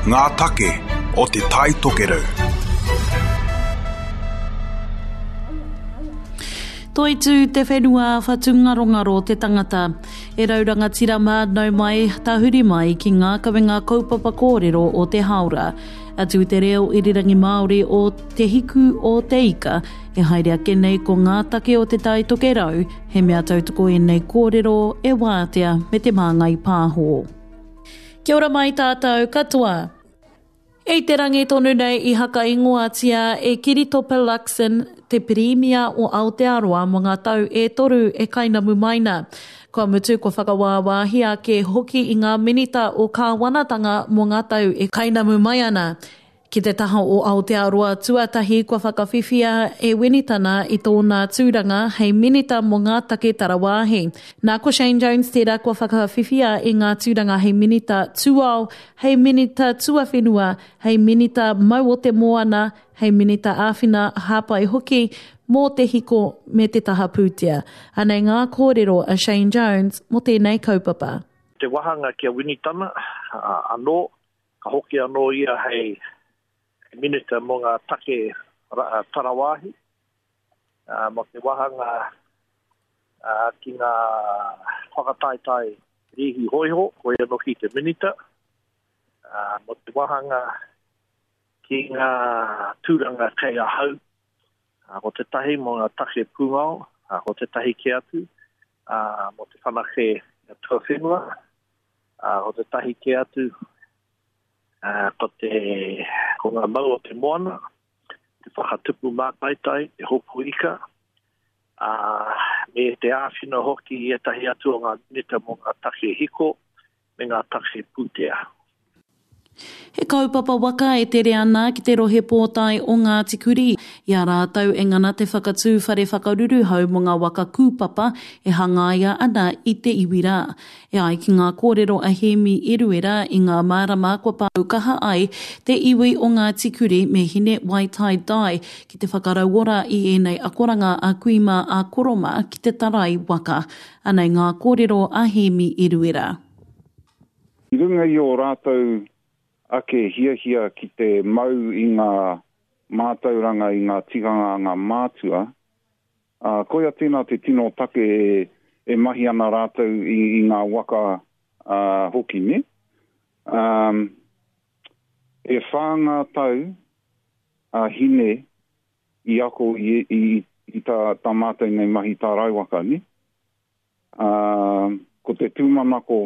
Ngā take o Te Tai Tokerau. Toitū te whenua, whatungarongaro te tangata. E rau rangatira mā, nau mai, tahuri mai ki ngā kawenga kaupapa kōrero o te hāora. Atu i te reo irirangi Māori o Te Hiku o Te Ika, e haere ake nei ko ngā take o Te Tai Tokerau, he mea tautoko ēnei kōrero e Wātea me Te Māngai Pāho. Kia ora mai tātou katoa. I te rangi tonu nei i hakaingoatia e Kiritopa Luxon te Pirimia o Aotearoa mō ngā tau e toru e kainamu mai na. Kua mutu kua whakawāwāhia ake hoki i ngā minita o kāwanatanga mō ngā tau e kainamu mai ana. Ki te taha o Aotearoa tuatahi kua whakawhiwhia e Winitana i tōna tūranga hei Minita mō ngā Take Tarawāhi. Nā ko Shane Jones tērā kua whakawhiwhia i ngā tūranga hei Minita Tūao, hei Minita Tuawhenua, hei Minita Mau o te Moana, hei Minita Āwhina Hāpai hoki mō te hiko me te taha pūtea. Anei ngā kōrero a Shane Jones mō tēnei kaupapa. Te wahanga ki a Winitana anō, Ka hoki anō ia hei Minita mō ngā take tarawāhi, mō te wāhanga ki ngā whakataetae rīhi hōiho, ko ia noki te Minita, mō te wāhanga ki ngā tūranga kei ahau, ko tētahi mō ngā take pūngao, ko tētahi kē atu mō te whanake tuawhenua, Ā, ko tētahi kē atu, ā, ko te, ko ngā mau o te moana, te whakatupu mātaitai, te hopu ika, ā, me te āwhina hoki i ētahi atu o ngā minita mō ngā take hiko me ngā take pūtea. He kaupapa waka e tere ana ki te rohe pōtae o Ngāti Kurī, i a rātou e ngana te whakatū whare whakaruruhau mō ngā waka kūpapa e hangaia ana i te iwi rā. E ai ki ngā kōrero a Hēmi Eruera i ngā marama kua pau kaha ai te iwi o Ngāti Kurī me Hine Waitai Dye ki te whakarauora i ēnei akoranga a kui mā a koro mā ki te tarai waka. Anei ngā kōrero a Hēmi Eruera. I runga i ō rātou ake hiahia ki te mau i ngā mātauranga, i ngā tikanga a ngā mātua, ā, koia tēnā te tino take e mahi ana rātou i, i ngā waka ā, hoki, nē? Ā, e whā ngā tau a Hine i ako i, i, i tā, tā mātou nei mahi tārai waka, nē? Ā, ko te tūmanako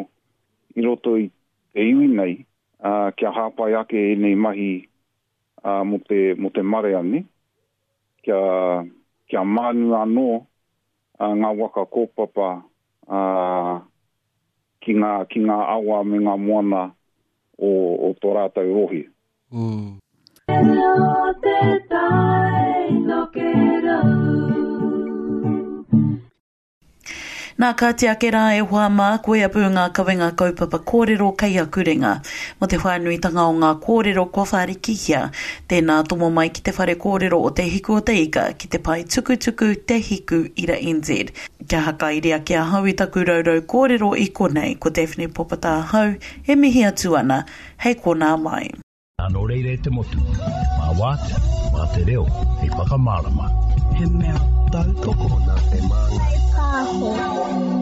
i roto i te iwi nei, ā, kia hāpai ake ēnei mahi, ā, mō te, mō te marea, nē? Kia, kia mānu anō, ā, ngā waka kōpapa, ā, ki ngā, ki ngā awa me ngā moana o, o tō rātou rohe. Mm. Nā, kāti ake rā e hoa mā, koia pū ngā kawenga kaupapa kōrero kei aku ringa. Mō te whānuitanga o ngā kōrero kua whārikihia, tēnā tomo mai ki te whare kōrero o Te Hiku o Te Ika ki te pae tukutuku Te Hiku Ira NZ. Kia hakairi ake ahau i taku raurau kōrero i konei, ko Daphne Popata ahau e mihi atu ana, hei konā mai. Nō reira e te motu, mā Wātea, mā te reo hei whakamārama. He mea tautoko nā Te Māngai Pāho.